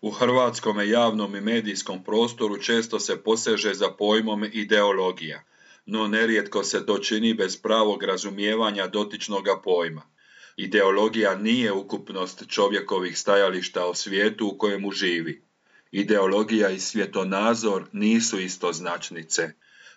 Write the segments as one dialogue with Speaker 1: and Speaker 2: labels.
Speaker 1: U hrvatskom javnom i medijskom prostoru često se poseže za pojmom ideologija, no nerijetko se to čini bez pravog razumijevanja dotičnoga pojma. Ideologija nije ukupnost čovjekovih stajališta o svijetu u kojemu živi. Ideologija i svjetonazor nisu istoznačnice.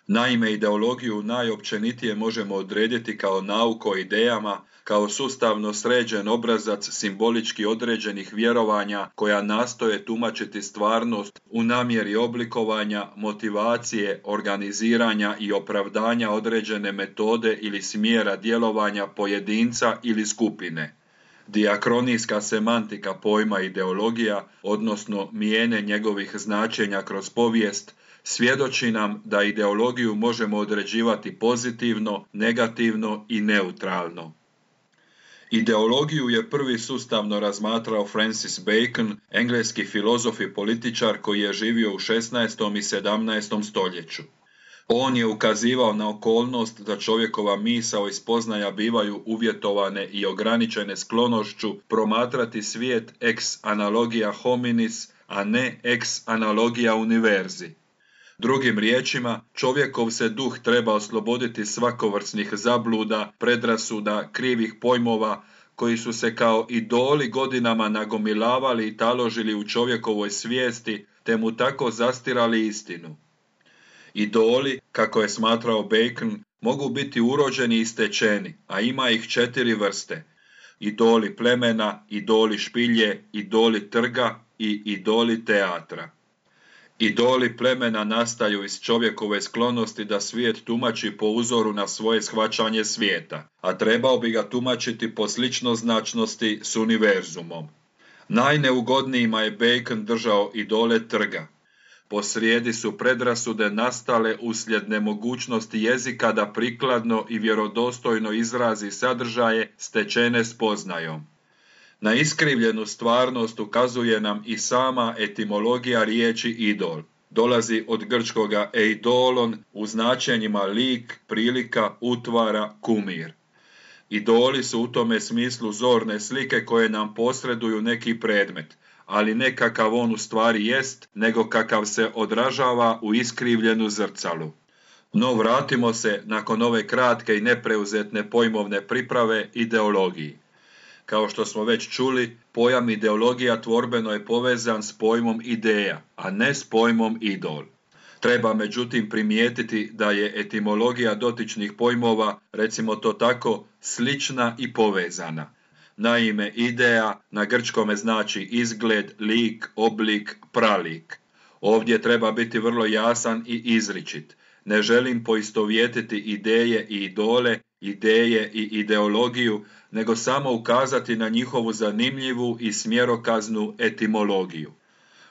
Speaker 1: Naime, ideologiju najopćenitije možemo odrediti kao nauku o idejama, kao sustavno sređen obrazac simbolički određenih vjerovanja koja nastoje tumačiti stvarnost u namjeri oblikovanja, motivacije, organiziranja i opravdanja određene metode ili smjera djelovanja pojedinca ili skupine. Diakronijska semantika pojma ideologija, odnosno mijene njegovih značenja kroz povijest, svjedoči nam da ideologiju možemo određivati pozitivno, negativno i neutralno. Ideologiju je prvi sustavno razmatrao Francis Bacon, engleski filozof i političar koji je živio u 16. i 17. stoljeću. On je ukazivao na okolnost da čovjekova misao i spoznaja bivaju uvjetovane i ograničene sklonošću promatrati svijet ex analogia hominis, a ne ex analogia univerzi. Drugim riječima, čovjekov se duh treba osloboditi svakovrsnih zabluda, predrasuda, krivih pojmova, koji su se kao idoli godinama nagomilavali i taložili u čovjekovoj svijesti, te mu tako zastirali istinu. Idoli, kako je smatrao Bacon, mogu biti urođeni i stečeni, a ima ih 4 vrste. Idoli plemena, idoli špilje, idoli trga i idoli teatra. Idoli plemena nastaju iz čovjekove sklonosti da svijet tumači po uzoru na svoje shvaćanje svijeta, a trebao bi ga tumačiti po sličnoznačnosti s univerzumom. Najneugodnijima je Bacon držao idole trga. Posrijedi su predrasude nastale uslijed nemogućnosti jezika da prikladno i vjerodostojno izrazi sadržaje stečene spoznajom. Na iskrivljenu stvarnost ukazuje nam i sama etimologija riječi idol. Dolazi od grčkoga eidolon u značenjima lik, prilika, utvara, kumir. Idoli su u tome smislu zorne slike koje nam posreduju neki predmet, ali ne kakav on u stvari jest, nego kakav se odražava u iskrivljenu zrcalu. No vratimo se, nakon ove kratke i nepreuzetne pojmovne priprave, ideologiji. Kao što smo već čuli, pojam ideologija tvorbeno je povezan s pojmom ideja, a ne s pojmom idol. Treba međutim primijetiti da je etimologija dotičnih pojmova, recimo to tako, slična i povezana. Naime, ideja na grčkome znači izgled, lik, oblik, pralik. Ovdje treba biti vrlo jasan i izričit. Ne želim poistovjetiti ideje i idole, ideje i ideologiju, nego samo ukazati na njihovu zanimljivu i smjerokaznu etimologiju.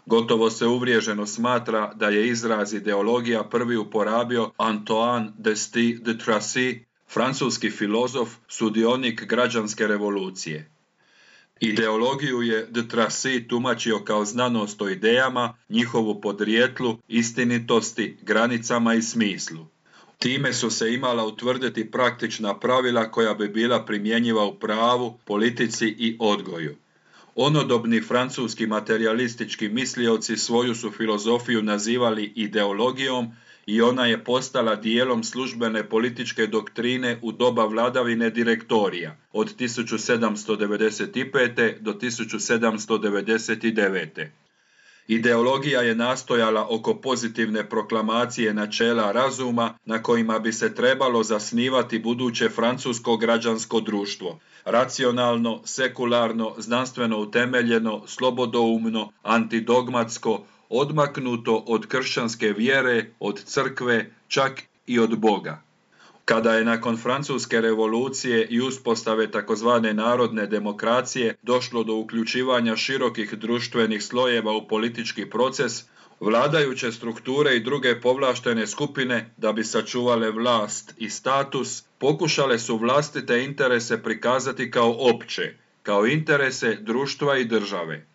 Speaker 1: Gotovo se uvriježeno smatra da je izraz ideologija prvi uporabio Antoine de Tracy, francuski filozof, sudionik građanske revolucije. Ideologiju je de Tracy tumačio kao znanost o idejama, njihovu podrijetlu, istinitosti, granicama i smislu. Time su se imala utvrditi praktična pravila koja bi bila primjenjiva u pravu, politici i odgoju. Onodobni francuski materijalistički mislioci svoju su filozofiju nazivali ideologijom i ona je postala dijelom službene političke doktrine u doba vladavine direktorija od 1795. do 1799. Ideologija je nastojala oko pozitivne proklamacije načela razuma na kojima bi se trebalo zasnivati buduće francusko građansko društvo. Racionalno, sekularno, znanstveno utemeljeno, slobodoumno, antidogmatsko, odmaknuto od kršćanske vjere, od crkve, čak i od Boga. Kada je nakon francuske revolucije i uspostave takozvane narodne demokracije došlo do uključivanja širokih društvenih slojeva u politički proces, vladajuće strukture i druge povlaštene skupine, da bi sačuvale vlast i status, pokušale su vlastite interese prikazati kao opće, kao interese društva i države.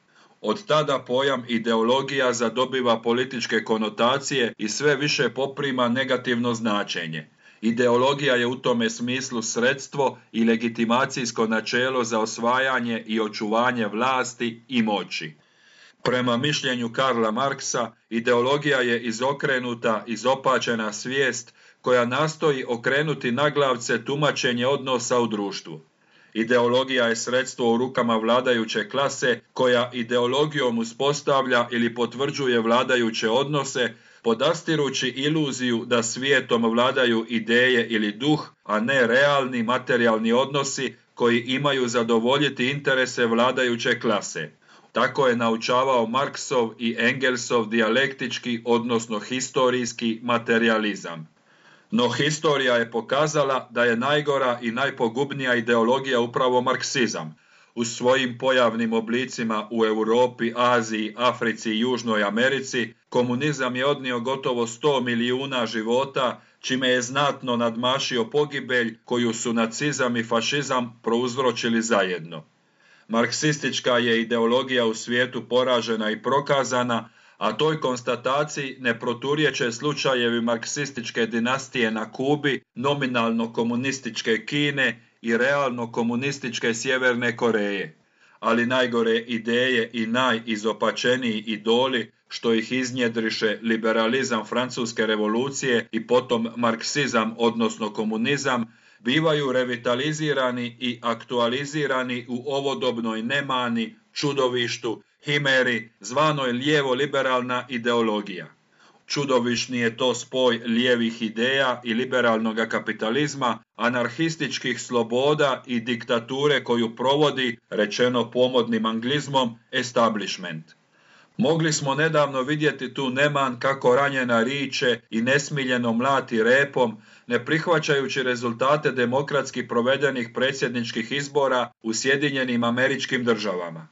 Speaker 1: Od tada pojam ideologija zadobiva političke konotacije i sve više poprima negativno značenje. Ideologija je u tome smislu sredstvo i legitimacijsko načelo za osvajanje i očuvanje vlasti i moći. Prema mišljenju Karla Marksa, ideologija je izokrenuta, izopačena svijest koja nastoji okrenuti naglavce tumačenje odnosa u društvu. Ideologija je sredstvo u rukama vladajuće klase koja ideologijom uspostavlja ili potvrđuje vladajuće odnose, podastirući iluziju da svijetom vladaju ideje ili duh, a ne realni materijalni odnosi koji imaju zadovoljiti interese vladajuće klase. Tako je naučavao Marksov i Engelsov dijalektički, odnosno historijski materializam. No historija je pokazala da je najgora i najpogubnija ideologija upravo marksizam. U svojim pojavnim oblicima u Europi, Aziji, Africi i Južnoj Americi, komunizam je odnio gotovo 100 milijuna života, čime je znatno nadmašio pogibelj koju su nacizam i fašizam prouzročili zajedno. Marksistička je ideologija u svijetu poražena i prokazana, a toj konstataciji ne proturječe slučajevi marksističke dinastije na Kubi, nominalno komunističke Kine i realno komunističke Sjeverne Koreje. Ali najgore ideje i najizopačeniji idoli, što ih iznjedriše liberalizam francuske revolucije i potom marksizam, odnosno komunizam, bivaju revitalizirani i aktualizirani u ovodobnoj nemani, čudovištu, himeri, zvanoj lijevo-liberalna ideologija. Čudovišni je to spoj lijevih ideja i liberalnog kapitalizma, anarhističkih sloboda i diktature koju provodi, rečeno pomodnim anglizmom, establishment. Mogli smo nedavno vidjeti tu neman kako ranjena riče i nesmiljeno mlati repom, ne prihvaćajući rezultate demokratski provedenih predsjedničkih izbora u Sjedinjenim Američkim Državama.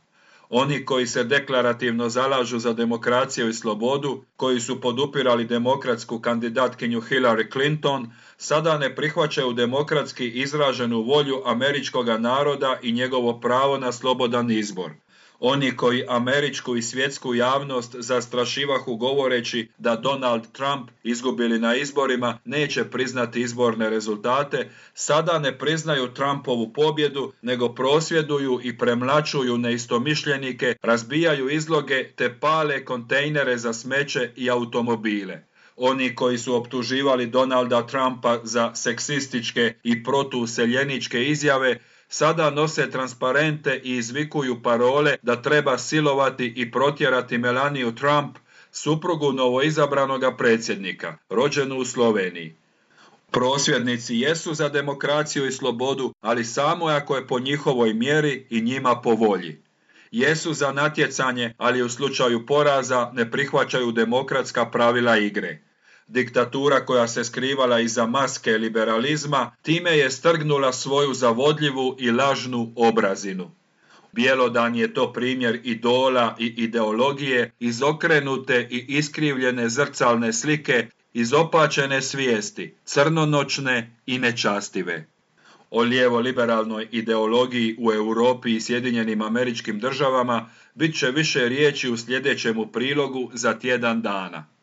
Speaker 1: Oni koji se deklarativno zalažu za demokraciju i slobodu, koji su podupirali demokratsku kandidatkinju Hillary Clinton, sada ne prihvaćaju demokratski izraženu volju američkog naroda i njegovo pravo na slobodan izbor. Oni koji američku i svjetsku javnost zastrašivahu govoreći da Donald Trump, izgubili na izborima, neće priznati izborne rezultate, sada ne priznaju Trumpovu pobjedu, nego prosvjeduju i premlaćuju neistomišljenike, razbijaju izloge te pale kontejnere za smeće i automobile. Oni koji su optuživali Donalda Trumpa za seksističke i protuuseljeničke izjave, sada nose transparente i izvikuju parole da treba silovati i protjerati Melaniju Trump, suprugu novoizabranoga predsjednika, rođenu u Sloveniji. Prosvjednici jesu za demokraciju i slobodu, ali samo ako je po njihovoj mjeri i njima po volji. Jesu za natjecanje, ali u slučaju poraza ne prihvaćaju demokratska pravila igre. Diktatura koja se skrivala iza maske liberalizma, time je strgnula svoju zavodljivu i lažnu obrazinu. Bjelodan je to primjer idola i ideologije, izokrenute i iskrivljene zrcalne slike, izopačene svijesti, crnonoćne i nečastive. O lijevo-liberalnoj ideologiji u Europi i Sjedinjenim Američkim Državama bit će više riječi u sljedećemu prilogu za tjedan dana.